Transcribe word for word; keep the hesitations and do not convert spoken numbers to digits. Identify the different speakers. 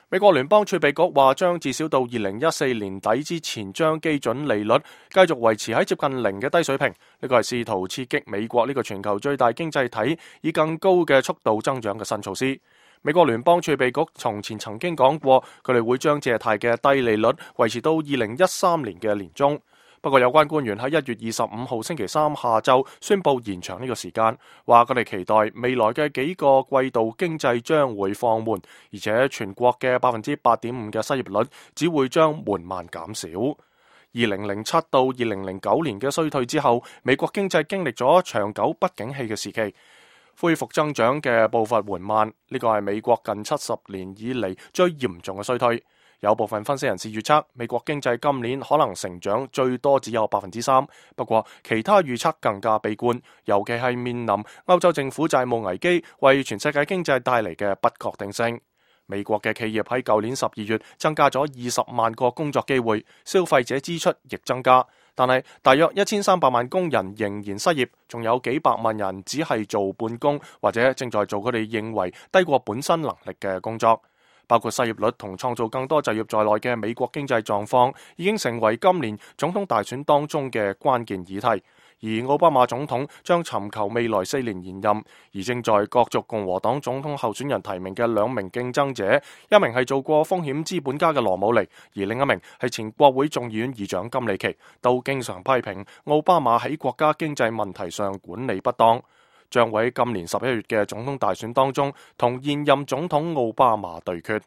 Speaker 1: 美國聯邦儲備局話將至少到二零一四年底之前，將基準利率繼續維持喺接近零嘅低水平。呢個係試圖刺激美國呢個全球最大經濟體以更高嘅速度增長嘅新措施。美國聯邦儲備局從前曾經講過，佢哋會將借貸嘅低利率維持到二零一三年嘅年中。不過有關官員喺一月二十五號星期三下晝宣布延長呢個時間，話佢哋期待未來嘅幾個季度經濟將會放緩，而且全國嘅百分之八點五嘅失業率只會將緩慢減少。二零零七到二零零九年嘅衰退之後，美國經濟經歷咗長久不景氣嘅時期，恢復增長嘅步伐緩慢，呢個係美國近七十年以嚟最嚴重嘅衰退。有部分分析人士預測，美國經濟今年可能成長最多只有百分之三，不過其他預測更加悲觀，尤其係面臨歐洲政府債務危機為全世界經濟帶嚟嘅不確定性。美國嘅企業喺舊年十二月增加咗二十萬個工作機會，消費者支出亦增加，但係大約一千三百萬工人仍然失業，仲有幾百萬人只係做半工或者正在做佢哋認為低過本身能力嘅工作。包括失業率同創造更多就業在內嘅美國經濟狀況已經成為今年總統大選當中嘅關鍵議題，而奧巴馬總統將尋求未來四年延任，而正在角逐共和黨總統候選人提名嘅兩名競爭者，一名係做過風險資本家嘅羅姆尼，而另一名係前國會眾議院議長金里奇，都經常批評奧巴馬喺國家經濟問題上管理不當，將會喺今年十一月嘅總統大選當中同現任總統奧巴馬對決。